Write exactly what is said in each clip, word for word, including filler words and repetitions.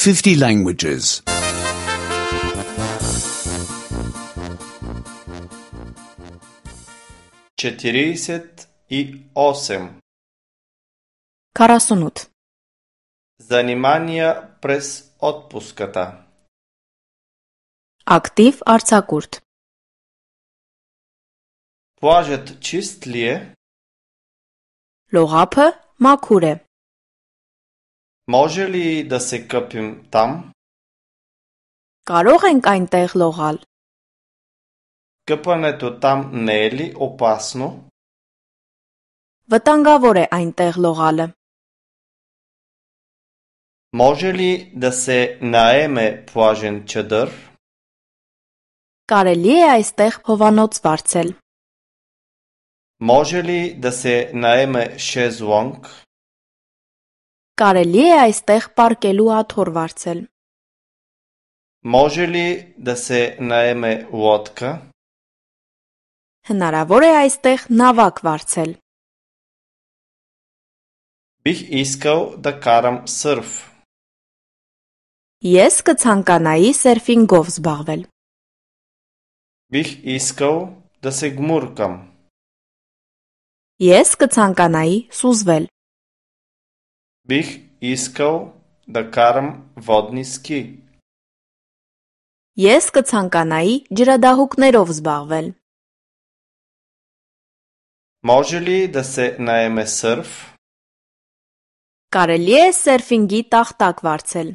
fifty languages. четиридесет и осем. Карасунут. Занимания през отпуската. Актив արձակուրդ. Плажът чист ли е? Լողափը մաքուր է։ Може ли да се къпим там? Կարող ենք այնտեղ լողալ։ Къпането там не е ли опасно? Վտանգավոր է այնտեղ լողալը։ Може ли да се наеме плажен чадър? Կարելի է այստեղ հովանոց վարձել։ Може ли да се наеме шезлонг? Կարելի է այստեղ պարկելու աթոռ վարձել։ Може ли да се наеме лодка? Հնարավոր է այստեղ նավակ վարձել։ Бих искал да карам сърф. Ես կցանկանայի սերֆինգով զբաղվել։ Бих искал да се гмуркам. Ես կցանկանայի սուզվել։ Бих искал да карам водни ски. Ես կցանկանայի ջրադահուկներով զբաղվել։ Може ли да се наеме сърф? Կարելի է սերֆինգի տախտակ վարձել։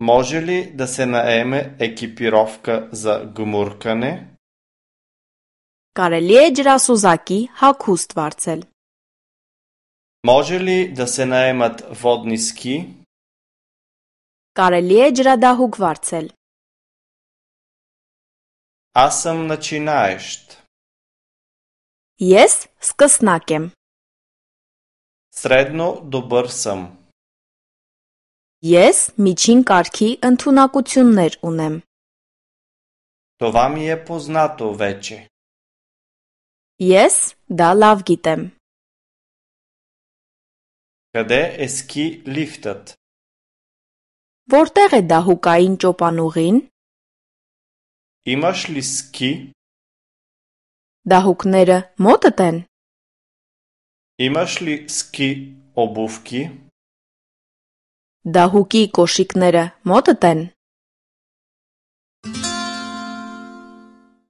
Може ли да се наеме екипировка за гмуркане? Կարելի է ջրասուզակի հագուստ վարձել։ Може ли да се наемат водни ски? Կարելի է ջրադահուկ վարձել։ Аз съм начинаещ. Ես սկսնակ եմ։ Средно добър съм. Ես միջին կարգի ընդունակություններ ունեմ։ Това ми е познато вече. Ես դա լավ գիտեմ։ Къде е ски лифтът? Որտեղ է դահուկային ճոպանուղին։ Имаш ли ски? Դահուկները մոտդ են։ Имаш ли ски обувки? Դահուկի կոշիկները մոտդ են։